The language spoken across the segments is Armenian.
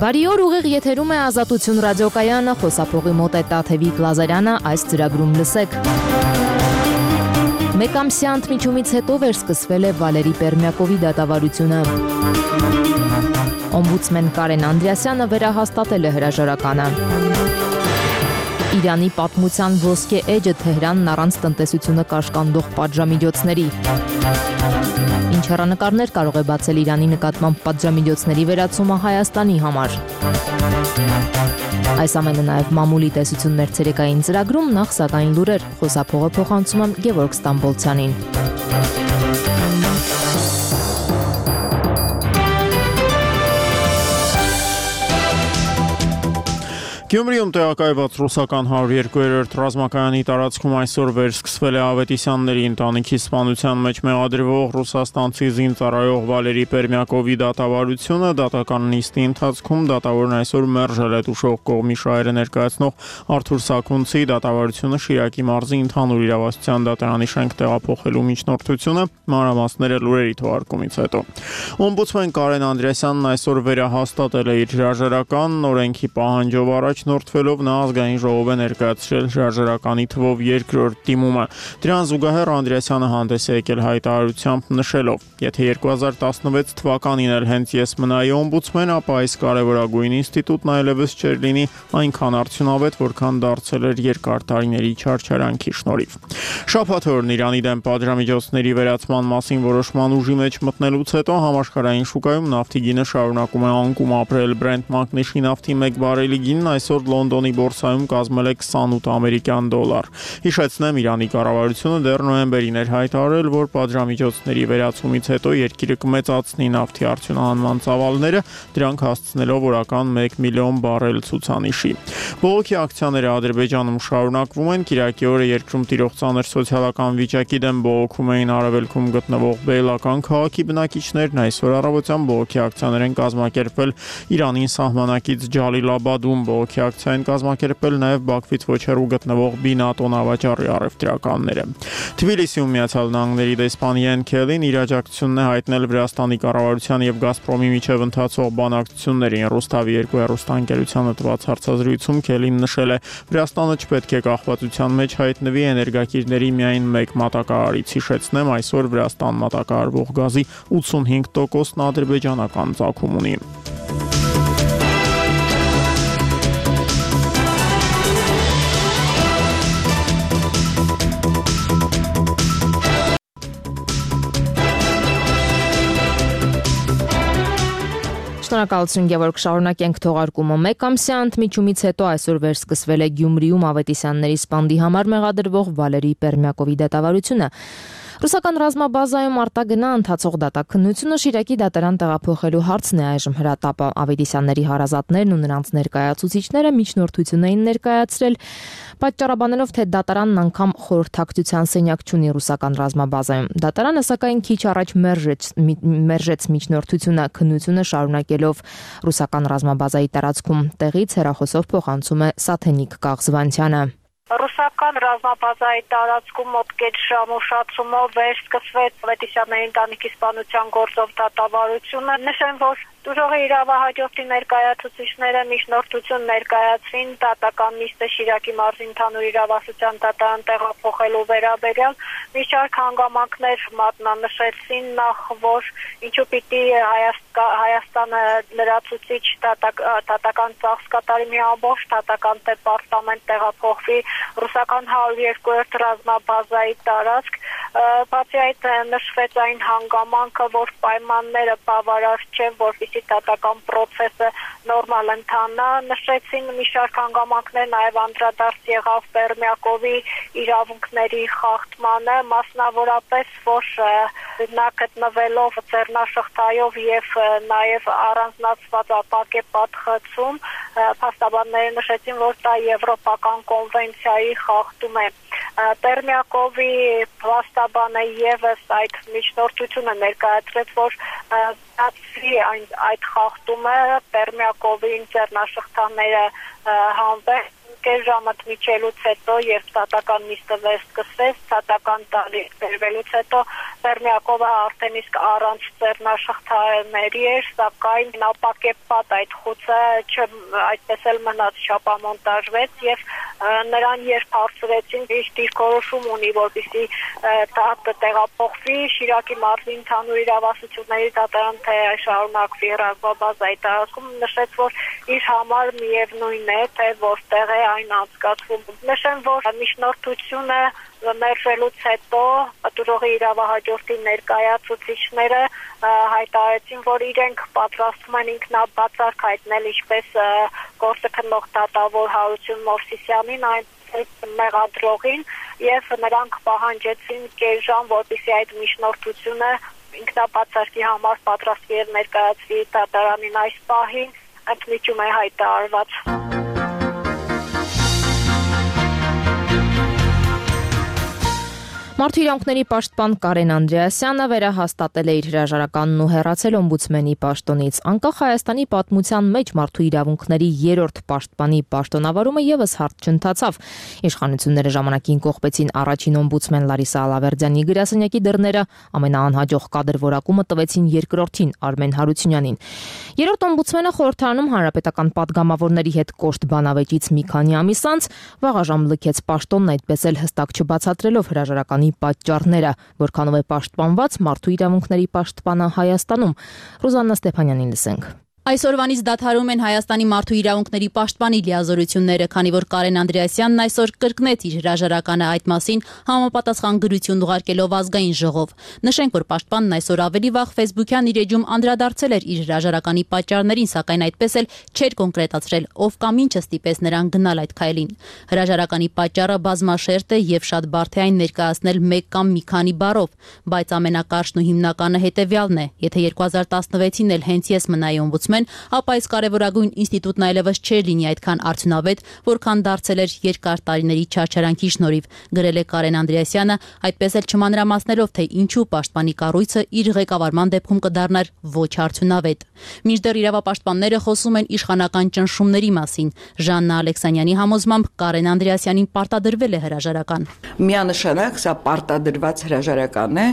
Բարի օր, ուղիղ եթերում է Ազատություն ռադիոկայանը, խոսափողի մոտ է Տաթևիկ Լազարյանը, այս ծրագրում լսեք։ Մեկամսյա ընդմիջումից հետո վերսկսվել է Վալերի Պերմյակովի դատավարությունը։ Օմբուդսմեն Կարեն Անդրեասյանը վերահաստատել է հրաժարականը։ Իրանի պատմության ոսկե էջը Թեհրանն առանց տնտեսությունը կաշկանդող պատժամիջոցների։ Ինչ հեռանկարներ կարող է բացել Իրանի նկատմամբ պատժամիջոցների վերացումը Հայաստանի համար։ Այս ամենը նաև մամուլի տեսություններ ցերեկային ծրագրում, նախ սակայն լուրեր, խոսափողը փոխանցում եմ Գևորգ Ստամբոլցյանին։ Գյումրիում տեղակայված ռուսական 102-րդ ռազմակայանի տարածքում այսօր վերսկսվել է Ավետիսյանների ընտանիքի սպանության մեջ մեղադրվող ռուսաստանցի զինծառայող Վալերի Պերմյակովի դատավարությունը։ Դատական նիստի ընթացքում դատավորն այսօր մերժել է տուժող կողմի շահերը ներկայացնող Արթուր Սաքունցի դատավարությունը Շիրակի մարզի ընդհանուր իրավասության դատարանի շենք տեղափոխելու միջնորդությունը, մանրամասները լուրերի թողարկումից հետո։ Օմբուդսմեն Կարեն Անդրեասյանն այսօր վերահաստատել է իր հրաժարականն, օրենքի պահանջով առաջնորդվելով նա ազգային ժողով է ներկայացրել հրաժարականի թվով երկրորդ դիմումը։ Դրան զուգահեռ Անդրեասյանը հանդես է եկել հայտարարությամբ նշելով. «Եթե 2016 թվականին էլ հենց ես մնայի օմբուդսմեն, ապա այս կարևորագույն ինստիտուտն այլևս չէր լինի այնքան արդյունավետ, որքան դարձել էր երկար տարիների չարչարանքի շնորհիվ»։ Շաբաթ օրն Իրանի դեմ պատժամիջոցների վերացման մասին որոշման ուժի մեջ մտնելուց հետո համաշխարհային շուկայում նավթի գինը շարունակում է անկում ապրել։ Brent մակնիշի նավթի 1 բարելի գինն այսօր Լոնդոնի բորսայում կազմել է 28 ամերիկյան դոլար։ Հիշեցնեմ, Իրանի կառավարությունը դեռ նոյեմբերին էր հայտարարել, որ պատժամիջոցների վերացումից հետո երկիրը կմեծացնի նավթի արդյունահանման ծավալները, դրանք հասցնելով օրական 1 միլիոն բարել ցուցանիշի։ Բողոքի ակցիաները Ադրբեջանում շարունակվում են։ Կիրակի օրը երկրում տիրող ծանր սոցիալական վիճակի դեմ բողոքում էին արևելքում գտնվող Բեյլական քաղաքի բնակիչներն։ Այսօր առավոտյան բողոքի ակցիաներ են կազմակերպվել Իրանին սահմանակից Ջալիլաբադում։ Բողոքի ակցիա են կազմակերպել նաև Բաքվից ոչ հեռու գտնվող Բինատո նավաճառի առևտրականները։ Թբիլիսիում Միացյալ Նահանգների դեսպան Յեն Քելին իր աջակցությունն է հայտնել Վրաստանի կառավարության եւ Գազպրոմի միջև ընթացող բանակցություններին։ Ռուստավի 2 հեռուստաընկերությանը տված հարցազրույցում Քելին նշել է. «Վրաստանը չպետք է կախվածության մեջ հայտնվի էներգակիրների միայն մեկ մատակարարից։ Հիշեցնեմ, այսօր Վրաստան մատակարարվող գազի 85%-ն ադրբեջանական ծագում ունի»։ Շնորհակալություն Գևորգ, շարունակենք թողարկումը։ Մեկամսյա ընդմիջումից հետո այսօր վերսկսվել է Գյումրիում Ավետիսյանների սպանդի համար մեղադրվող Վալերի Պերմյակովի դատավարությունը։ Ռուսական ռազմաբազայում արտագնա ընթացող դատաքննությունը Շիրակի դատարան տեղափոխելու հարցն է այժմ հրատապը։ Ավետիսյանների հարազատներն ու նրանց ներկայացուցիչները միջնորդություն էին ներկայացրել, պատճառաբանելով, թե դատարանն անգամ խորհրդակցության սենյակ չունի ռուսական ռազմաբազայում։ Դատարանը սակայն քիչ առաջ մերժեց միջնորդությունը, քննությունը շարունակելով ռուսական ռազմաբազայի տարածքում։ Տեղից հեռախոսով փոխանցում է Սաթենիկ Կաղզվանցյանը։ Ռուսական ռազմաբազայի տարածքում մոտ կես ժամ ուշացումով վերսկսվեց Ավետիսյանների ընտանիքի սպանության գործով դատավարությունը։ Նշեմ, որ տուժողի իրավահաջորդի ներկայացուցիչները միջնորդություն ներկայացրին դատական նիստը Շիրակի մարզի ընդհանուր իրավասության դատարան տեղափոխելու վերաբերյալ։ Մի շարք հանգամանքներ մատնանշեցին, նախ որ ինչու պիտի Հայաստանը լրացուցիչ դատական ծախս կատարի մի ամբողջ դատական դեպարտամենտ տեղափոխվի ռուսական 102-րդ ռազմաբազայի տարածք։ Բացի այդ նշվեց այն հանգամանքը, որ պայմանները բավարար չեն, որպեսզի դատական process-ը նորմալ ընթանա։ Նշեցին մի շարք հանգամանքներ, նաև անդրադարձ եղավ Պերմյակովի իրավունքների խախտմանը, մասնավորապես, որ նա գտնվելով ձեռնաշղթայով եւ նաև առանձնացված ապակե պատխծում, փաստաբանները նշեցին, որ դա եվրոպական կոնվենցիայի խախտում է։ Պերմյակովի փաստաբանը եւս այդ միջնորդությունը ներկայացրեց, որ դասի այդ խախտումը Պերմյակովին ձեռնաշղթաները հանվեն կես ժամը միջելուց հետո, երբ դատական նիստը վերսկսվեց, դատական տարի բերվելուց հետո Պերմյակովը արդեն իսկ առանց ձեռնաշխարհների էր, սակայն ապակեպված այդ խուցը այդպես էլ մնաց, չապամոնտաժվեց եւ նրան երբ հարցրեցին, իր դիրքորոշում ունի, որպեսզի տեղափոխվի Շիրակի մարզի ընդհանուր իրավասությունների դատարան, թե շարունակվի ռազմաբազայի տարածքում, նշեց, որ իր համար միևնույն է, թե որտեղ է այն անցկացվում։ Նշեմ, որ միջնորդությունը մերժելուց հետո պատուրողի իրավահաջորդի ներկայացուցիչները հայտարարեցին, որ իրենք պատրաստվում են ինքնաբացարկ հայտնել ինչպես գործը քննող դատավոր Հարություն Մովսիսյանին, այնպես մեղադրողին, եւ նրանք պահանջեցին կես ժամ, որպեսզի այդ միջնորդությունը ինքնաբացարկի համար պատրաստվի եւ ներկայացվի դատարանին այս պահին, ընդմիջում է հայտարարված։ Մարդու իրավունքների պաշտպան Կարեն Անդրեասյանը վերահաստատել է իր հրաժարականն ու հեռացել օմբուդսմենի պաշտոնից։ Անկախ Հայաստանի պատմության մեջ մարդու իրավունքների 3-րդ պաշտպանի պաշտոնավարումը եւս հարթ չընթացավ։ Իշխանությունները ժամանակին կողպեցին առաջին օմբուդսմեն Լարիսա Ալավերդյանի գրասենյակի դռները, ամենաանհաջող կադրվորակումը տվեցին երկրորդին Արմեն Հարությունյանին։ Երրորդ օմբուդսմենը խորհրդարանում հանրապետական պատգամավորների հետ կոշտ բանավեճից մի քանի ամիս անց վաղաժամ լքեց պաշտոնն, այդպես էլ հստակ չբացատրելով հրաժարականի պատճառները, որքանով է պաշտպանված մարդու իրավունքների պաշտպանը Հայաստանում։ Ռուզաննա Ստեփանյանին լսենք։ Այսօրվանից դադարում են Հայաստանի մարդու իրավունքների պաշտպանի լիազորությունները, քանի որ Կարեն Անդրեասյանն այսօր կրկնեց իր հրաժարականը այդ մասին համապատասխան գրություն ուղարկելով ազգային ժողով։ Նշենք, որ պաշտպանն այսօր ավելի վաղ Facebook-յան իր էջում անդրադարձել էր իր հրաժարականի պատճառներին, սակայն այդպես էլ չէր կոնկրետացրել, ով կամ ինչը ստիպեց նրան գնալ այդ քայլին։ Հրաժարականի պատճառը բազմաշերտ է եւ շատ բարդ է այն ներկայացնել մեկ կամ մի քանի բառով, բայց ամենակարճն ու հիմնականը հետեւյալն է. եթե 2016-ին էլ հենց ես մնայի օմբուդսմեն, ապա այս կարևորագույն ինստիտուտն այլևս չէր լինի այդքան արդյունավետ, որքան դարձել էր երկար տարիների չարչարանքի շնորհիվ, գրել է Կարեն Անդրեասյանը, այդպես էլ չմանրամասնելով, թե ինչու պաշտպանի կառույցը իր ղեկավարման դեպքում կդառնար ոչ արդյունավետ։ Մինչդեռ իրավապաշտպանները խոսում են իշխանական ճնշումների մասին։ Ժաննա Ալեքսանյանի համոզմամբ Կարեն Անդրեասյանին պարտադրվել է հրաժարական։ Միանշանակ սա պարտադրված հրաժարական է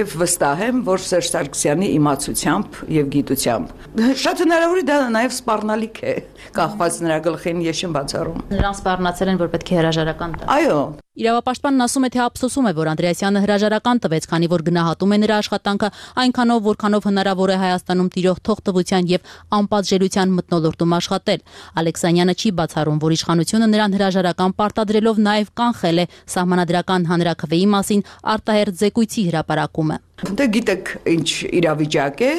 եւ վստահ եմ, որ Սերժ Սարգսյանի իմացությամբ եւ գիտությամբ շատ հնարավոր է դա նաև սպառնալիք է, կախված նրա գլխին ես չեմ բացառում։ Նրանք սպառնացել են, որ պետք է հրաժարական տա։ Այո։ Իրավապաշտպանն ասում է, թե ափսոսում է, որ Անդրեասյանը հրաժարական տվեց, քանի որ գնահատում է նրա աշխատանքը այնքանով, որքանով հնարավոր է Հայաստանում տիրող թողտվության եւ անպատժելիության մթնոլորտում աշխատել։ Ալեքսանյանը չի բացառում, որ իշխանությունը նրան հրաժարական պարտադրելով նաև կանխել է սահմանադրական հանրաքվեի մասին արտահերթ զեկույցի հրապարակումը։ Դե գիտեք ինչ իրավիճակ է,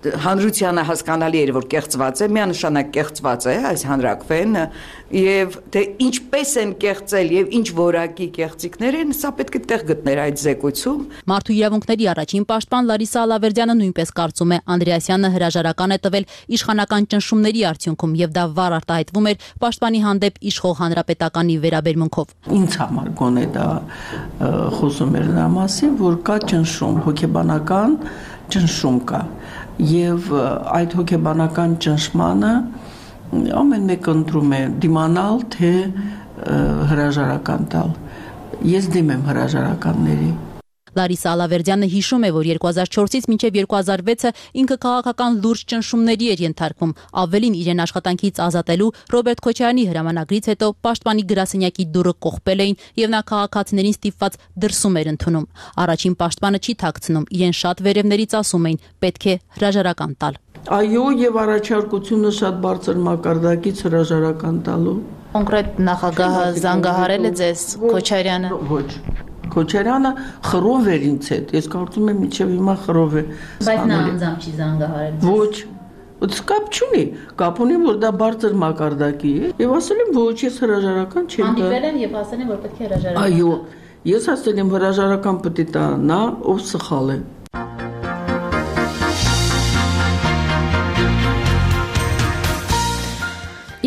հանրությանը հասկանալի էր, որ կեղծված է, միանշանակ կեղծված է այս հանրաքվեն եւ թե ինչպես են կեղծել եւ ինչ որակի կեղծիքներ են, սա պետք է տեղ գտներ այդ զեկույցում։ Մարդու իրավունքների առաջին պաշտպան Լարիսա Ալավերդյանը նույնպես կարծում է, Անդրեասյանը հրաժարական է տվել իշխանական ճնշումների արդյունքում եւ դա վառ արտահայտվում էր պաշտպանի հանդեպ իշխող հանրապետականի վերաբերմունքով։ Ինձ համար գոնե դա խոսում էր նրա մասին, որ կա ճնշում, հոգեբանական ճնշում կա եւ այդ հոգեբանական ճնշմանը ամեն մեկը ընտրում է դիմանալ թե հրաժարական տալ։ Ես դեմ եմ հրաժարականների։ Լարիսա Ալավերդյանը հիշում է, որ 2004-ից մինչև 2006-ը ինքը քաղաքական լուրջ ճնշումների էր ենթարկվում, ավելին իրեն աշխատանքից ազատելու Ռոբերտ Քոչարյանի հրամանագրից հետո պաշտպանի գրասենյակի դուռը կողպել էին եւ նա քաղաքացիներին ստիպված դրսում էր ընդունում։ Առաջին պաշտպանը չի թաքցնում, իրեն շատ վերևներից ասում էին, պետք է հրաժարական տալ։ Այո, եւ առաջարկությունը շատ բարձր մակարդակից հրաժարական տալու։ Կոնկրետ նախագահը զանգահարել է ձեզ Քոչարյանը։ Ոչ։ Քոչարյանը խռով էր ինձ հետ, ես կարծում եմ մինչև հիմա խռով է։ Բայց նա անձամբ չի զանգահարել։ Ոչ, կապ չունի, կապ ունի, որ դա բարձր մակարդակի է, եւ ասել եմ ոչ, ես հրաժարական չեմ տա։ Հանդիպել են եւ ասել են, որ պետք է հրաժարական։ Այո, ես ասել եմ հրաժարական պետք է տա նա, ով սխալ է։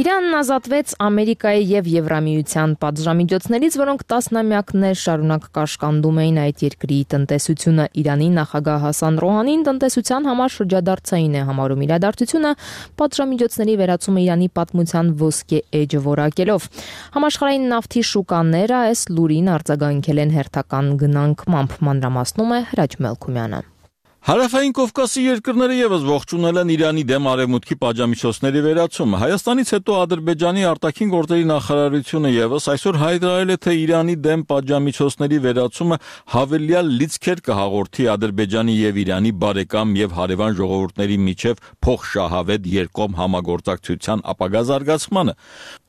Իրանն ազատվեց Ամերիկայի եւ Եվրամիության պատժամիջոցներից, որոնք տասնամյակներ շարունակ կաշկանդում էին այդ երկրի տնտեսությունը։ Իրանի նախագահ Հասան Ռոհանին տնտեսության համար շրջադարձային է համարում իրադարձությունը, պատժամիջոցների վերացումը Իրանի պատմության ոսկե էջը որակելով։ Համաշխարհային նավթի շուկաները այս լուրին արձագանքել են հերթական գնանկմամբ, մանրամասնում է Հրաչ Մելքումյանը։ Հարավային Կովկասի երկրները եւս ողջունել են Իրանի դեմ արևմուտքի պատժամիջոցների վերացումը։ Հայաստանից հետո Ադրբեջանի արտաքին գործերի նախարարությունը եւս այսօր հայտարարել է, թե Իրանի դեմ պատժամիջոցների վերացումը հավելյալ լիցքեր կհաղորդի Ադրբեջանի եւ Իրանի բարեկամ եւ հարևան ժողովուրդների միջև փոխշահավետ երկկողմ համագործակցության ապագա զարգացմանը։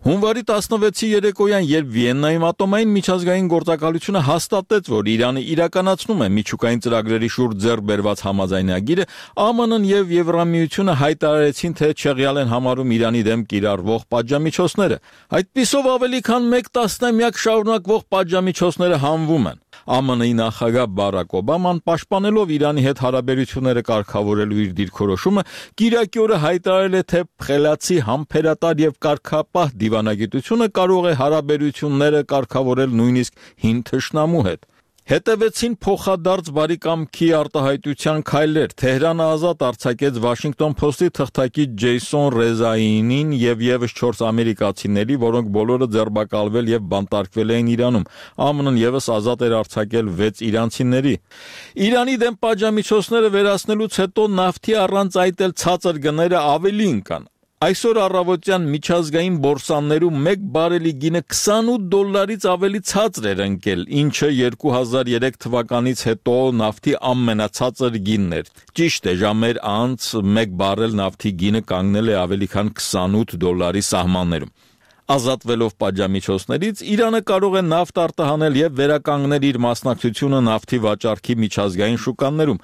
Հունվարի 16-ի երեկոյան, երբ Վիեննայում ատոմային միջազգային գործակալությունը հաստատեց, որ Իրանը իրականացնում է միջուկային ծրագրերի շուրջ ձեռք բերված համաձայնագիրը, ԱՄՆ-ն եւ Եվրամիությունը հայտարարեցին, թե չեղյալ են համարում Իրանի դեմ կիրառվող պատժամիջոցները։ Այդպիսով ավելի քան 1 տասնամյակ շարունակվող պատժամիջոցները հանվում են։ ԱՄՆ-ի նախագահ Բարակ Օբաման, պաշտպանելով Իրանի հետ հարաբերությունները կարգավորելու իր դիրքորոշումը, կիրակի օրը հայտարարել է, թե խելացի, համբերատար եւ կարգապահ դիվանագիտությունը կարող է հարաբերությունները կարգավորել նույնիսկ հին թշնամու հետ։ Հետևեցին փոխադարձ բարի կամքի արտահայտության քայլեր։ Թեհրանը ազատ արձակեց Washington Post-ի թղթակից Ջեյսոն Ռեզայինին եւ եւս 4 ամերիկացիների, որոնք բոլորը ձերբակալվել եւ բանտարկվել էին Իրանում։ ԱՄՆ-ն եւս ազատ էր արձակել 6 իրանցիների։ Իրանի դեմ պատժամիջոցները վերացնելուց հետո նավթի առանց այդ էլ ցածր գները ավելի ընկան։ Այսօր առավոտյան միջազգային բորսաներում 1 բարելի գինը $28-ից ավելի ցածր էր ընկել, ինչը 2003 թվականից հետո նավթի ամենացածր գինն էր։ Ճիշտ է, ժամեր անց 1 բարել նավթի գինը կանգնել է ավելի քան $28 սահմաններում։ Ազատվելով պատժամիջոցներից Իրանը կարող է նավթ արտահանել եւ վերականգնել իր մասնակցությունը նավթի վաճառքի միջազգային շուկաներում։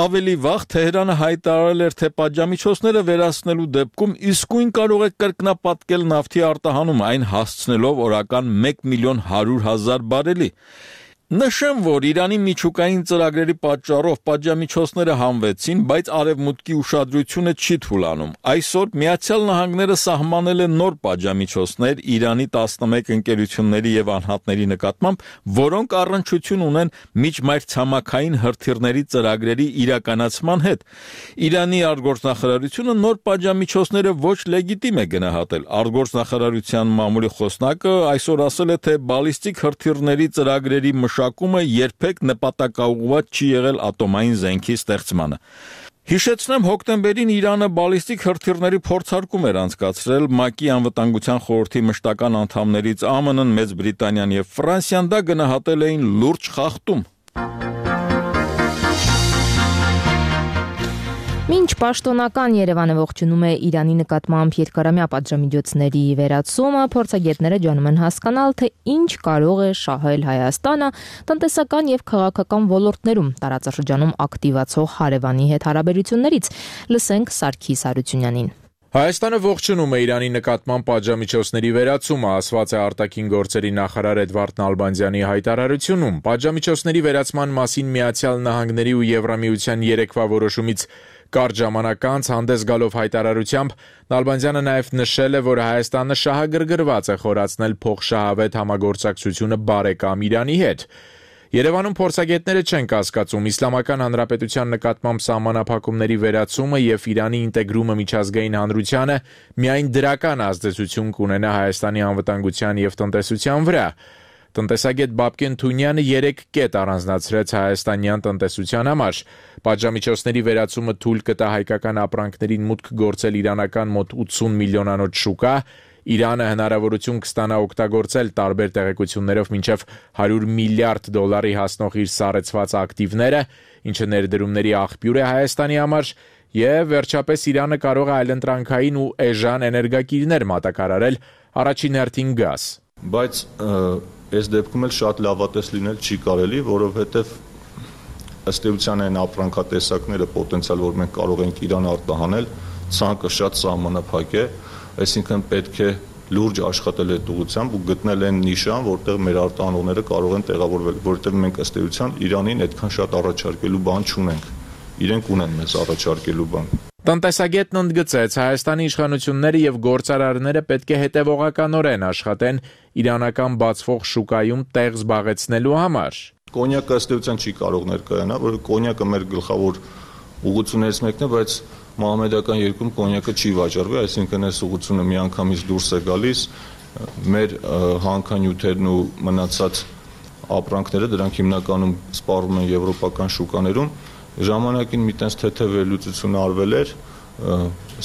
Ավելի վաղ Թեհրանը հայտարարել էր, թե պատժամիջոցները վերացնելու դեպքում իսկույն կարող է կրկնապատկել նավթի արտահանումը, այն հասցնելով օրական 1.100.000 բարելի։ Նշեմ, որ Իրանի միջուկային ծրագրերի պատճառով պատժամիջոցները հանվեցին, բայց արևմուտքի ուշադրությունը չի թուլանում։ Այսօր Միացյալ Նահանգները սահմանել է նոր պատժամիջոցներ Իրանի 11 ընկերությունների եւ անհատների նկատմամբ, որոնք առնչություն ունեն միջմայրցամաքային հրթիռների ծրագրերի իրականացման հետ։ Իրանի արտգործնախարարությունը նոր պատժամիջոցները ոչ լեգիտիմ է գնահատել։ Արտգործնախարարության մամուլի խոսնակը այսօր ասել է, թե բալիստիկ հրթիռների ծրագրերի մշակումը երբեք նպատակաուղղված չի եղել ատոմային զենքի ստեղծմանը։ Հիշեցնեմ, հոկտեմբերին Իրանը բալիստիկ հրթիռների փորձարկում էր անցկացրել ՄԱԿ-ի անվտանգության խորհրդի մշտական անդամներից ԱՄՆ-ն, Մեծ Բրիտանիան եւ Ֆրանսիան դա գնահատել էին լուրջ խախտում։ Մինչ պաշտոնական Երևանը ողջունում է Իրանի նկատմամբ երկարամյա պատժամիջոցների վերացումը, փորձագետները ջանում են հասկանալ, թե ինչ կարող է շահել Հայաստանը տնտեսական եւ քաղաքական ոլորտներում տարածաշրջանում ակտիվացող հարևանի հետ հարաբերություններից։ Լսենք Սարգիս Հարությունյանին։ Հայաստանը ողջունում է Իրանի նկատմամբ պատժամիջոցների վերացումը, ասված է արտաքին գործերի նախարար Էդվարդ Նալբանդյանի հայտարարությունում։ Պատժամիջոցների վերացման մասին Միացյալ Նահանգների ու Եվրամիության երեկվա որոշումից կարճ ժամանակ անց հանդես գալով հայտարարությամբ Նալբանդյանը նաև նշել է, որ Հայաստանը շահագրգռված է խորացնել փոխշահավետ համագործակցությունը բարեկամ Իրանի հետ։ Երևանում փորձագետները չեն կասկածում Իսլամական Հանրապետության նկատմամբ սահմանափակումների վերացումը եւ Իրանի ինտեգրումը միջազգային հանրությանը միայն դրական ազդեցություն կունենա Հայաստանի անվտանգության եւ տնտեսության վրա։ Տնտեսագետ Բաբկեն Թունյանը 3 կետ առանձնացրեց հայաստանյան տնտեսության համար։ Պատժամիջոցների վերացումը թույլ կտա հայկական ապրանքներին մուտք գործել իրանական մոտ 80 միլիոնանոց շուկա, Իրանը հնարավորություն կստանա օգտագործել տարբեր տեղեկություններով մինչև $100 միլիարդ հասնող իր սառեցված ակտիվները, ինչը ներդրումների աղբյուր է Հայաստանի համար, եւ վերջապես Իրանը կարող է այլընտրանքային ու էժան էներգակիրներ մատակարարել, առաջին հերթին գազ։ Բայց այս դեպքում էլ շատ լավատես լինել չի կարելի, որովհետեւ ըստ էության այն ապրանքատեսակները պոտենցիալ, որ մենք կարող ենք Իրան արտահանել, ցանկը շատ սահմանափակ է, այսինքն պետք է լուրջ աշխատել այդ ուղղությամբ ու գտնել այն նիշան, որտեղ մեր արտահանողները կարող են տեղավորվել, որովհետև մենք ըստ էության Իրանին այդքան շատ առաջարկելու բան չունենք։ Իրենք ունեն մեզ առաջարկելու բան։ Տնտեսագետն ընդգծեց, Հայաստանի իշխանությունները եւ գործարարները պետք է հետեւողականորեն աշխատեն իրանական բացվող շուկայում տեղ զբաղեցնելու համար։ Կոնյակը ըստ էության չի կարող ներկայանալ, որ կոնյակը մեր գլխավոր ուղղություններից մեկն է, բայց մահմեդական երկրում կոնյակը չի վաճառվի, այսինքն այս ուղղությունը միանգամից դուրս է գալիս, մեր հանքանյութերն ու մնացած ապրանքները դրանք հիմնականում սպառվում են եվրոպական շուկաներում, ժամանակին մի տես թեթև վերլուծություն արվել էր,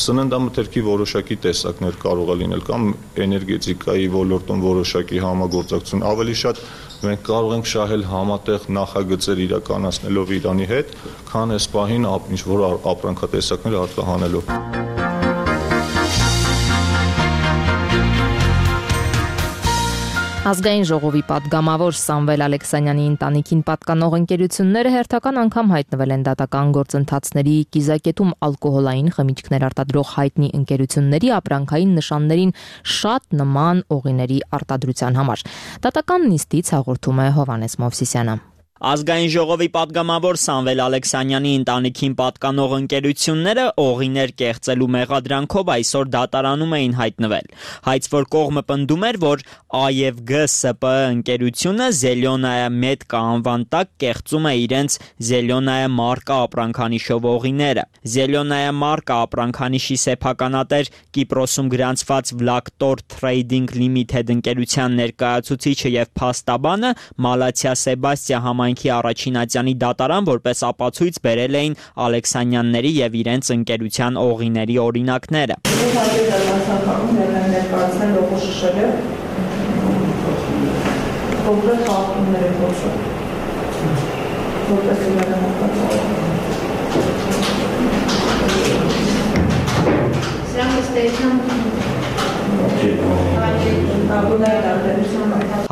սննդամթերքի որոշակի տեսակներ կարող է լինել կամ էներգետիկայի ոլորտում որոշակի համագործակցություն, ավելի շատ մենք կարող ենք շահել համատեղ նախագծեր իրականացնելով Իրանի հետ, քան այս պահին ինչ-որ ապրանքատեսակներ արտահանելով։ Ազգային ժողովի պատգամավոր Սամվել Ալեքսանյանի ընտանիքին պատկանող ընկերությունները հերթական անգամ հայտնվել են դատական գործընթացների կիզակետում ալկոհոլային խմիչքներ արտադրող հայտնի ընկերությունների ապրանքային նշաններին շատ նման օղիների արտադրության համար։ Դատական նիստից հաղորդում է Հովանես Մովսիսյանը։ Ազգային ժողովի պատգամավոր Սամվել Ալեքսանյանի ընտանիքին պատկանող ընկերությունները օղիներ կեղծելու մեղադրանքով այսօր դատարանում էին հայտնվել։ Հայցվոր կողմը պնդում էր, որ ԱԵՎԳ-ՍՊԸ ընկերությունը Զելյոնայա Մեդկա անվան տակ կեղծում է իրենց Զելյոնայա մարկա ապրանքանիշով օղիները։ Զելյոնայա մարկա ապրանքանիշի սեփականատեր Կիպրոսում գրանցված Vlaktor Trading Limited ընկերության ներկայացուցիչը եւ փաստաբանը Մալաթիա Սեբաստիա համայնքի առաջին ատյանի դատարան որպես ապացույց բերել էին Ալեքսանյանների եւ իրենց ընկերության օղիների օրինակները։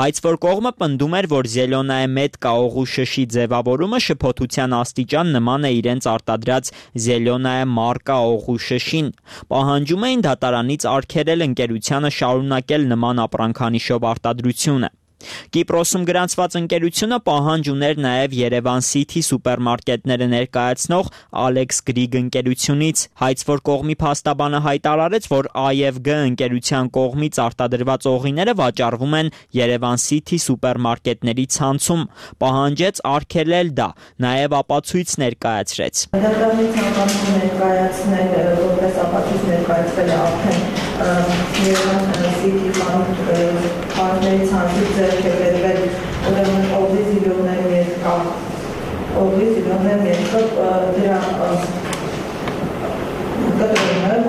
Հայցվոր կողմը պնդում էր, որ Զելյոնայա Մեդկա օղու շշի ձևավորումը շփոթության աստիճան նման է իրենց արտադրած Զելյոնայա մարկա օղու շշին։ Պահանջում էին դատարանից արգելել ընկերությանը շարունակել նման ապրանքանիշով արտադրությունը։ Կիպրոսում գրանցված ընկերությունը պահանջ ուներ նաև Երևան City սուպերմարկետները ներկայացնող Alex Greek ընկերությունից։ Հայցվոր կողմի փաստաբանը հայտարարեց, որ ԱԵՎԳ ընկերության կողմից արտադրված օղիները վաճառվում են Երևան City սուպերմարկետների ցանցում։ Պահանջեց արգելել դա, նաև ապացույց ներկայացրեց։ Դատարանի ցանկանում ներկայացնել որպես ապացույց ներկայացվել է արդեն Երևան City խանութների ցանցից ձեռք է բերվել ուրեմն օղի զիլյոններ երկա դրա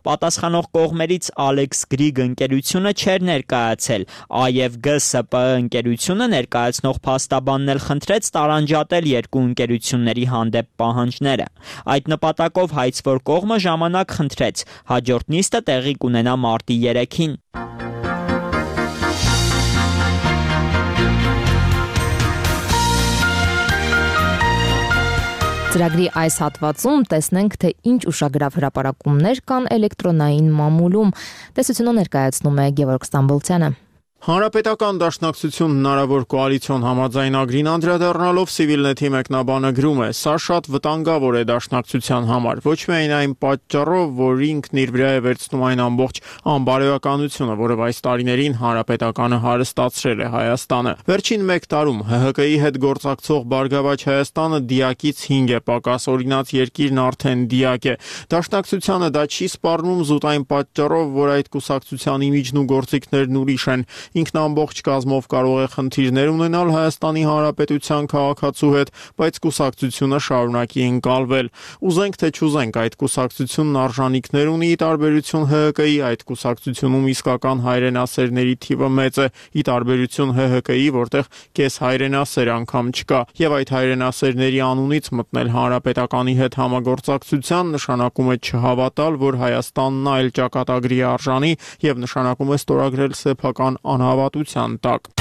Պատասխանող կողմերից Alex Greek ընկերությունը չէր ներկայացել, ԱԵՎԳ-ՍՊԸ ընկերությունը ներկայացնող փաստաբանն էլ խնդրեց տարանջատել երկու ընկերությունների հանդեպ պահանջները։ Այդ նպատակով հայցվոր կողմը ժամանակ խնդրեց, հաջորդ նիստը տեղի կունենա մարտի 3-ին։ Ծրագրի այս հատվածում տեսնենք, թե ինչ ուշագրավ հրապարակումներ կան էլեկտրոնային մամուլում։ Տեսությունը ներկայացնում է Գևորգ Ստամբոլցյանը։ Հանրապետական դաշնակցություն հնարավոր կոալիցիոն համաձայնագրին անդրադառնալով Civilnet-ի մեկնաբանը գրում է. «Սա շատ վտանգավոր է դաշնակցության համար, ոչ միայն այն պատճառով, որ ինքն իր վրա է վերցնում այն ամբողջ անբարոյականությունը, որով այս տարիներին Հանրապետականը հարստացրել է Հայաստանը։ Վերջին 1 տարում ՀՀԿ-ի հետ գործակցող Բարգավաճ Հայաստանը դիակից 5 է պակաս, օրինաց երկիրն արդեն դիակ է։ Դաշնակցությանը դա չի սպառնում զուտ այն պատճառով, որ այդ կուսակցության իմիջն ու գործիքներն ուրիշ են։ Ինքն ամբողջ կազմով կարող է խնդիրներ ունենալ Հայաստանի Հանրապետության քաղաքացու հետ, բայց կուսակցությունը շարունակի ընկալվել։ Ուզենք թե չուզենք, այդ կուսակցությունն արժանինքներ ունի ի տարբերություն ՀՀԿ-ի, այդ կուսակցությունում իսկական հայրենասերների թիվը մեծ է, ի տարբերություն ՀՀԿ-ի, որտեղ կես հայրենասեր անգամ չկա, եւ այդ հայրենասերների անունից մտնել Հանրապետականի հետ համագործակցության նշանակում է չհավատալ, որ Հայաստանն այլ ճակատագրի արժանի եւ նշանակում է ստորագրել սեփական անհավատության տակ։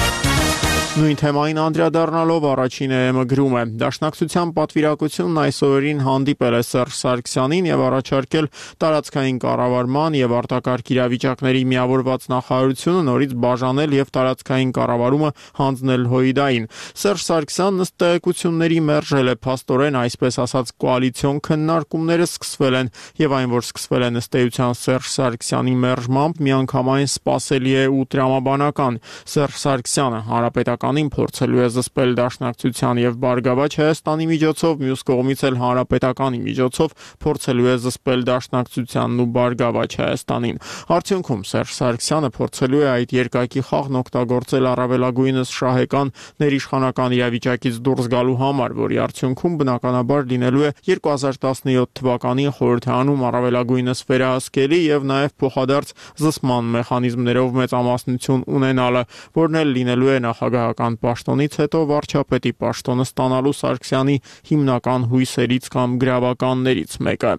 Նույն թեմային անդրադառնալով առաջին ԵՄ գրում է. Դաշնակցության պատվիրակությունն այս օրերին հանդիպել է Սերժ Սարգսյանին եւ առաջարկել տարածքային կառավարման եւ արտակարգ իրավիճակների միավորված նախարարությունը նորից բաժանել եւ տարածքային կառավարումը հանձնել ՀՅԴ-ին։ Սերժ Սարգսյանն ըստ տեղեկությունների մերժել է փաստորեն, այսպես ասած, կոալիցիոն քննարկումները սկսվել են եւ այն, որ սկսվել են ըստ էության Սերժ Սարգսյանի մերժմամբ, միանգամայն սպասելի է ու տրամաբանական։ Սերժ Սարգսյանը հանրապետականին փորձելու է զսպել Դաշնակցության եւ Բարգավաճ Հայաստանի միջոցով, մյուս կողմից էլ հանրապետականի միջոցով փորձելու է զսպել Դաշնակցությանն ու Բարգավաճ Հայաստանին։ Արդյունքում Սերժ Սարգսյանը փորձելու է այդ երկակի խաղն օգտագործել առավելագույնս շահեկան ներիշխանական իրավիճակից դուրս գալու համար, որի արդյունքում բնականաբար լինելու է 2017 թվականի խորհրդարանում առավելագույնս վերահսկելի եւ նաեւ փոխադարձ զսպման մեխանիզմներով մեծամասնություն ունենալը, որն էլ լինելու է նախագահական պաշտոնից հետո վարչապետի պաշտոնը ստանալու Սարգսյանի հիմնական հույսերից կամ գրավականներից մեկը։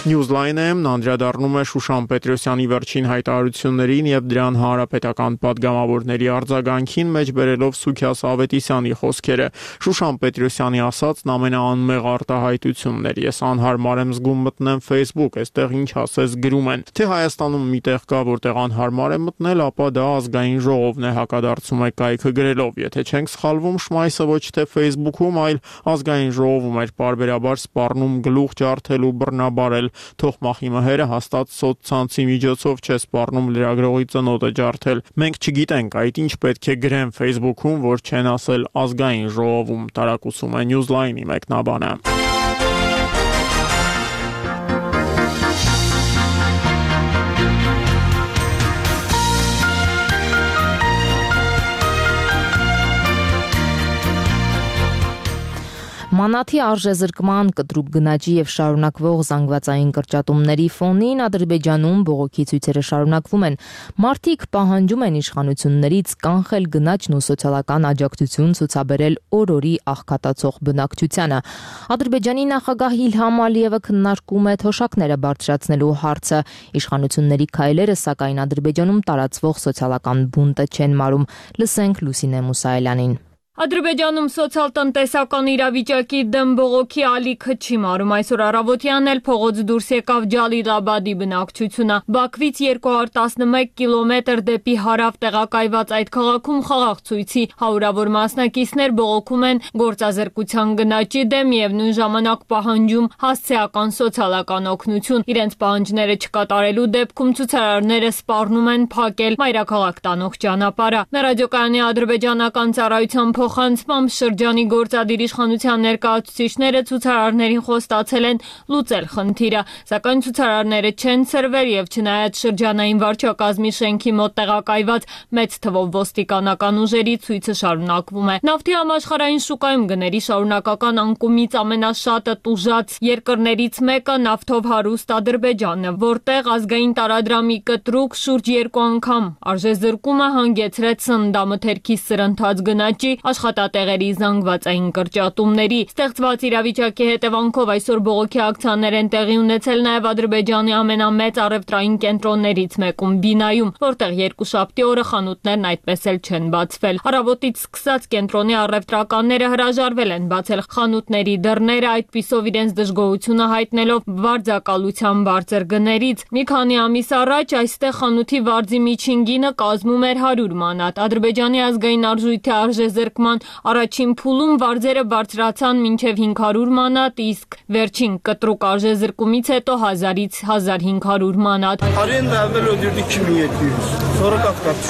Newsline-ն անդրադառնում է Շուշան Պետրոսյանի վերջին հայտարարություններին եւ դրան հանրապետական падգամավորների արձագանքին, մեջբերելով Սուքիաս Ավետիսյանի խոսքերը։ Շուշան Պետրոսյանի ասածն ամենաանմեղ արտահայտությունն էր։ Ես անհարմար եմ զգում մտնեմ Facebook, այստեղ ինչ ասես գրում են։ Թե Հայաստանում մի տեղ կա, որտեղ անհարմար է մտնել, ապա դա ազգային ժողովն է, հակադարձում է կայքը գրելով։ Եթե չենք սխալվում, Շմայսը ոչ թե Facebook-ում, այլ ազգային ժողովում էր պարբերաբար սպառնում գլուխ ջարդել ու բռնաբարել։ Թող մախի մհերը հաստատ սոցցանցի միջոցով չէ սպառնում լրագրողի ծնոտը ջարդել։ Մենք չգիտենք այդ ինչ պետք է գրեն Facebook-ում, որ չեն ասել ազգային ժողովում, տարակուսում է Newsline-ի մեկնաբանը։ Մանաթի արժեզրկման, կտրուկ գնաճի եւ շարունակվող զանգվածային կրճատումների ֆոնին Ադրբեջանում բողոքի ցույցերը շարունակվում են։ Մարդիկ պահանջում են իշխանություններից կանխել գնաճն ու սոցիալական աջակցություն ցուցաբերել օր-օրի աղքատացող բնակչությանը։ Ադրբեջանի նախագահ Իլհամ Ալիևը քննարկում է թոշակները բարձրացնելու հարցը։ Իշխանությունների քայլերը, սակայն Ադրբեջանում տարածվող սոցիալական բունտը չեն մարում։ Լսենք Լուսինե Մուսայելյանին։ Ադրբեջանում սոցիալ-տնտեսական իրավիճակի դեմ բողոքի ալիքը չի մարում։ Այսօր առավոտյան էլ փողոց դուրս եկավ Ջալիլաբադի բնակչությունը։ Բաքվից 211 կիլոմետր դեպի հարավ տեղակայված այդ քաղաքում խաղաղ ցույցի հարյուրավոր մասնակիցներ բողոքում են գործազրկության գնաճի դեմ եւ նույն ժամանակ պահանջում հասցեական սոցիալական օգնություն։ Իրենց պահանջները չկատարելու դեպքում ցուցարարները սպառնում են փակել մայրաքաղաք տանող ճանապարհը։ Ռադիոկայանի ադրբեջանական ծառայության փոխանցմամբ շրջանի գործադիր իշխանության ներկայացուցիչները ցուցարարներին խոստացել են լուծել խնդիրը, սակայն ցուցարարները չեն ցրվել եւ չնայած շրջանային վարչակազմի շենքի մոտ տեղակայված մեծ թվով ոստիկանական ուժերի ցույցը շարունակվում է։ Նավթի համաշխարհային շուկայում գների շարունակական անկումից ամենաշատը տուժած երկրներից մեկը նավթով հարուստ Ադրբեջանն է, որտեղ ազգային տարադրամի կտրուկ շուրջ 2 անգամ արժեզրկումը հանգեցրեց սննդամթերքի սրընթաց գնաճի, աշխատատեղերի զանգվածային կրճատումների։ Ստեղծված իրավիճակի հետևանքով այսօր բողոքի ակցիաներ են տեղի ունեցել նաև Ադրբեջանի ամենամեծ առևտրային կենտրոններից մեկում Բինայում, որտեղ երկուշաբթի օրը խանութներն այդպես էլ չեն բացվել։ Առավոտից սկսած կենտրոնի առևտրականները հրաժարվել են բացել խանութների դռները, այդպիսով իրենց դժգոհությունը հայտնելով վարձակալության բարձր գներից։ Մի քանի ամիս առաջ այստեղ խանութի վարձի միջին գինը կազմում էր 100 մանատ։ Ադրբեջանի ազգային արժույթի արժեզրկման առաջին փուլում վարձերը բարձրացան մինչև 500 մանատ, իսկ վերջին կտրուկ արժեզրկումից հետո 1000-ից 1500 մանատ։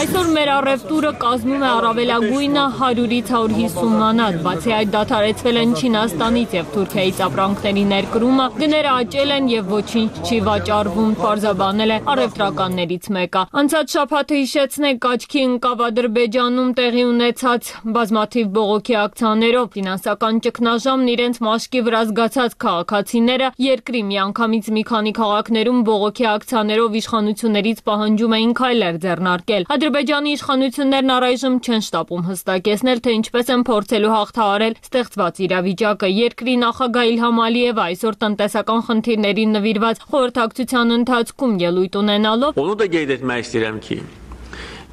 Այսօր մեր առևտուրը կազմում է առավելագույնը 100-ից 150 մանատ, բացի այդ դադարեցվել են Չինաստանից եւ Թուրքիայից ապրանքների ներկրումը, գները աճել են եւ ոչինչ չի վաճառվում, պարզաբանել է առևտրականներից մեկը։ Անցած շաբաթը հիշեցնենք աչքի ընկավ Ադրբեջանում տեղի ունեցած բազմաթիվ բողոքի ակցիաներով, ֆինանսական ճգնաժամն իրենց մաշկի վրա զգացած քաղաքացիները երկրի միանգամից մի քանի քաղաքներում բողոքի ակցիաներով իշխանություններից պահանջում էին քայլեր ձեռնարկել։ Ադրբեջանի իշխանություններն առայժմ չեն շտապում հստակեցնել, թե ինչպես են փորձելու հաղթահարել ստեղծված իրավիճակը։ Երկրի նախագահ Իլհամ Ալիևը այսօր տնտեսական խնդիրներին նվիրված խորհրդակցության ընթացքում ելույթ ունենալով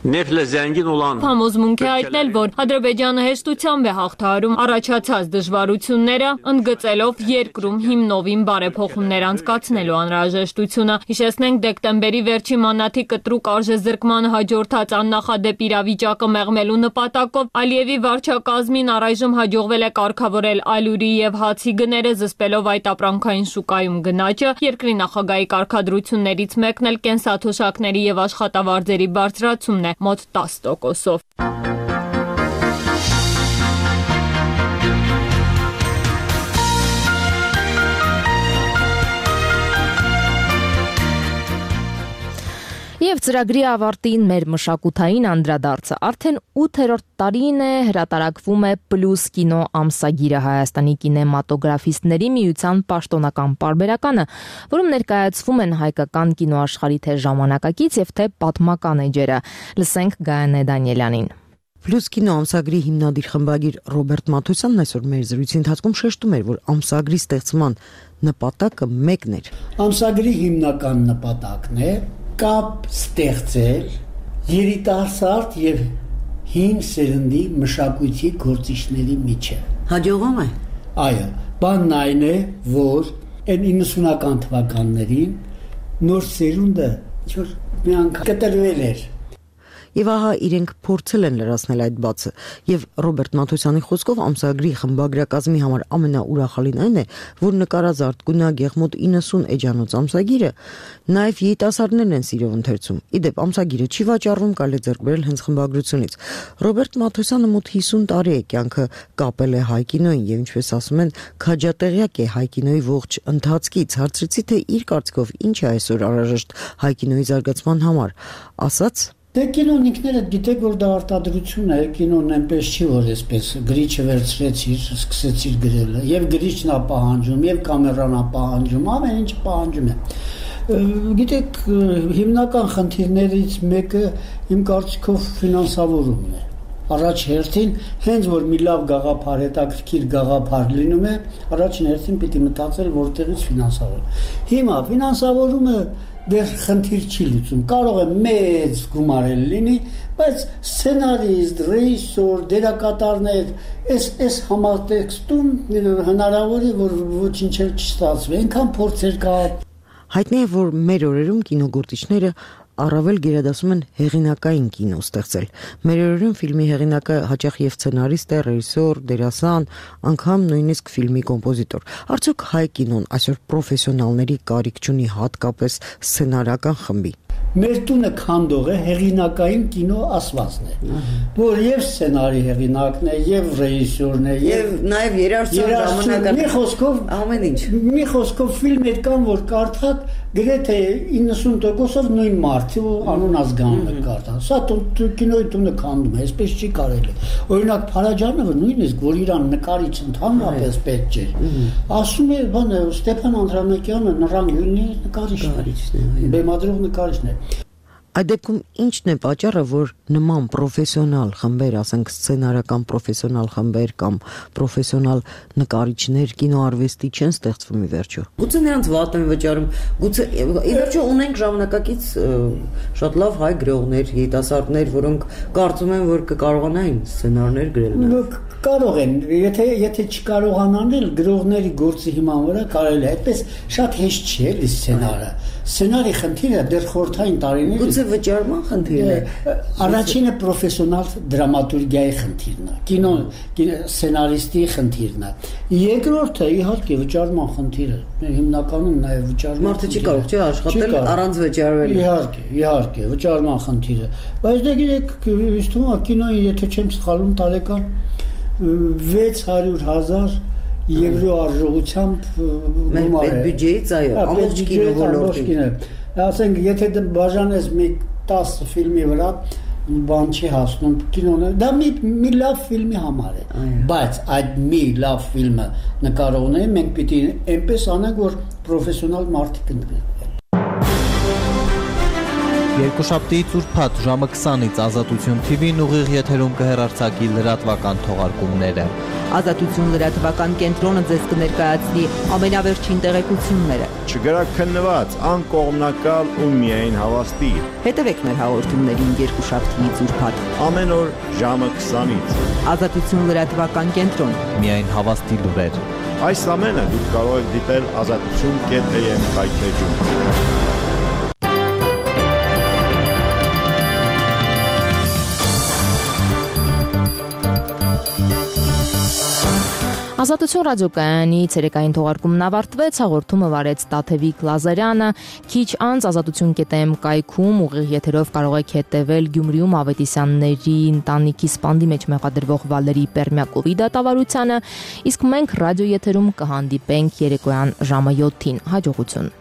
Համոզմունք է հայտնել, որ Ադրբեջանը հեշտությամբ է հաղթահարում առաջացած դժվարությունները, ընդգծելով երկրում հիմնովին բարեփոխումներ անցկացնելու անհրաժեշտությունը։ Հիշեցնենք, դեկտեմբերի վերջի մանաթի կտրուկ արժեզրկման հաջորդած աննախադեպ իրավիճակը մեղմելու նպատակով Ալիևի վարչակազմին առայժմ հաջողվել է կարգավորել ալյուրի եւ հացի գները, զսպելով այդ ապրանքային շուկայում գնաճը։ Երկրի նախագահի կարգադրություններից մեկն էլ կենսաթոշակների եւ աշխատավարձերի բարձրացումն է մոտ 10%-ով։ Եվ ծրագրի ավարտին մեր մշակութային անդրադարձը արդեն 8-րդ տարին է հրատարակվում է Պլյուս կինո ամսագիրը, Հայաստանի կինեմատոգրաֆիստների միության պաշտոնական պարբերականը, որում ներկայացվում են հայկական կինոաշխարհի թե ժամանակակից եւ թե պատմական էջերը։ Լսենք Գայանե Դանիելյանին։ Պլյուս կինո ամսագրի հիմնադիր խմբագիր Ռոբերտ Մաթոսյանն այսօր մեր զրույցի ընթացքում շեշտում էր, որ ամսագրի ստեղծման նպատակը մեկն էր։ Ամսագրի հիմնական նպատակն է կապ ստեղծել երիտասարդ եւ հին սերնդի մշակույթի գործիչների միջեւ։ Հաջողում է։ Այո, բանն այն է, որ այն 90-ական թվականներին նոր սերունդը ինչ-որ մի անգամ կտրվել էր։ Եվ ահա իրենք փորձել են լրացնել այդ բացը, եւ Ռոբերտ Մաթոսյանի խոսքով ամսագրի խմբագրակազմի համար ամենաուրախալին այն է, որ նկարած արտգունակ եղմոտ 90 էջանոց ամսագիրը նաեւ երիտասարդներն են սիրով ընթերցում։ Իդեպ ամսագիրը չի վաճառվում, կարելի է ձեռք բերել հենց խմբագրությունից։ Ռոբերտ Մաթոսյանը մոտ 50 տարի է կյանքը կապել է հայ կինոյին եւ ինչպես ասում են, քաջատեղյակ է հայ կինոյի ողջ ընթացքից։ Հարցրեցի, թե իր կարծիքով ինչ է այսօր անհրաժեշտ հայ կինոյի զարգացման համար, ասաց. Դե կինոն ինքներդ գիտեք, որ դա արտադրություն է, կինոն այնպես չի, որ այսպես գրիչը վերցրեցիր, սկսեցիր գրելը, եւ գրիչն է պահանջում, եւ կամերան է պահանջում, ամեն ինչ պահանջում է։ Գիտեք, հիմնական խնդիրներից մեկը իմ կարծիքով ֆինանսավորումն է։ Առաջ հերթին, հենց որ մի լավ գաղափար, հետաքրքիր գաղափար լինում է, առաջին հերթին պիտի մտածել, որտեղից ֆինանսավորում։ Հիմա ֆինանսավորումը դեռ խնդիր չի լուծում, կարող է մեծ գումարել լինի, բայց սցենարիստ, ռեժիսոր, դերակատարներ, այս համատեքստում հնարավոր է, որ ոչինչ չստացվի, այնքան փորձեր կա։ Հայտնի է, որ մեր օրերում կինոգործիչները առավել գերադասում են հեղինակային կինո ստեղծել։ Մեր օրերում ֆիլմի հեղինակը հաճախ եւ սցենարիստ է, ռեժիսոր, դերասան, անգամ նույնիսկ ֆիլմի կոմպոզիտոր։ Արդյոք հայ կինոն այսօր պրոֆեսիոնալների կարիք չունի, հատկապես սցենարական խմբի։ Մեր տունը քանդող է հեղինակային կինո ասվածն է, որ եւ սցենարի հեղինակն է, եւ ռեժիսորն է, եւ նաեւ երաժշտության ժամանակը։ Մի խոսքով ամեն ինչ։ Մի խոսքով ֆիլմեր կան, որ կարդաք գրեթե 90%-ով նույն մարդը անուն ազգանունը կարդան։ Սա կինոյի տունը քանդում է, այսպես չի կարելի։ Օրինակ Փարաջանովը նույնիսկ, որ իրան նկարիչ ընդհանրապես պետք չէր, ասում է, բանը Ստեփան Անդրանիկյանը նրան յունի նկարիչն է, բեմադրող նկարիչն է։ Այդ դեպքում ինչն է պատճառը, որ նման պրոֆեսիոնալ խմբեր, ասենք սցենարական պրոֆեսիոնալ խմբեր կամ պրոֆեսիոնալ նկարիչներ կինոարվեստի չեն ստեղծվում ի վերջո։ Գուցե նրանց վատ են վճարում, գուցե ի վերջո ունենք ժամանակակից շատ լավ հայ գրողներ, երիտասարդներ, որոնք կարծում են, որ կկարողանային սցենարներ գրել։ Կարող են, եթե չկարողանան, գրողների գործի հիման վրա կարելի է, այդպես շատ հեշտ չի էլի սցենարը։ Սցենարի խնդիրը դեռ խորհրդային տարիներին գուցե վճարման խնդիրն է։ Առաջինը պրոֆեսիոնալ դրամատուրգիայի խնդիրն է, կինո սցենարիստի խնդիրն է։ Երկրորդը իհարկե վճարման խնդիրը, հիմնականում նաև վճարման։ Մարդը չի կարող չէ աշխատել առանց վճարվելու։ Իհարկե, վճարման խնդիրը։ Բայց դե գիտեք, ինձ թվում է կինոյի, եթե չեմ սխալվում, տարեկան 600,000 եվրո արժողությամբ գումար է։ Բյուջեից այո, ամբողջ կինո ոլորտին։ Ասենք, եթե բաժանես մի 10 ֆիլմի վրա, բան չի հասնում կինոն, դա մի լավ ֆիլմի համար է, բայց այդ մի լավ ֆիլմը նկարողները մենք պիտի այնպես անենք, որ պրոֆեսիոնալ մարդիկ ընտրեն։ Երկուշաբթի ուրբաթ ժամը 20-ից Ազատություն TV-ն ուղիղ եթերում կհեռարձակի լրատվական թողարկումները։ Ազատություն լրատվական կենտրոնը ձեզ կներկայացնի ամենավերջին տեղեկությունները։ Չգրաքննված, անկողմնակալ ու միայն հավաստի։ Հետևեք մեր հաղորդումներին երկուշաբթիից ուրբաթ։ Ամեն օր ժամը 20-ից։ Ազատություն լրատվական կենտրոն։ Միայն հավաստի լուրեր։ Այս ամենը դուք կարող եք դիտել azatutun.am կայքեջում։ Ազատություն ռադիոկայանի ցերեկային թողարկումն ավարտվեց, հաղորդումը վարեց Տաթևիկ Լազարյանը, քիչ անց azatutun.am կայքում ուղիղ եթերով կարող եք հետևել Գյումրիում Ավետիսյանների ընտանիքի սպանդի մեջ մեղադրվող Վալերի Պերմյակովի դատավարությանը, իսկ մենք ռադիո եթերում կհանդիպենք երեկոյան ժամը 7-ին։ Հաջողություն։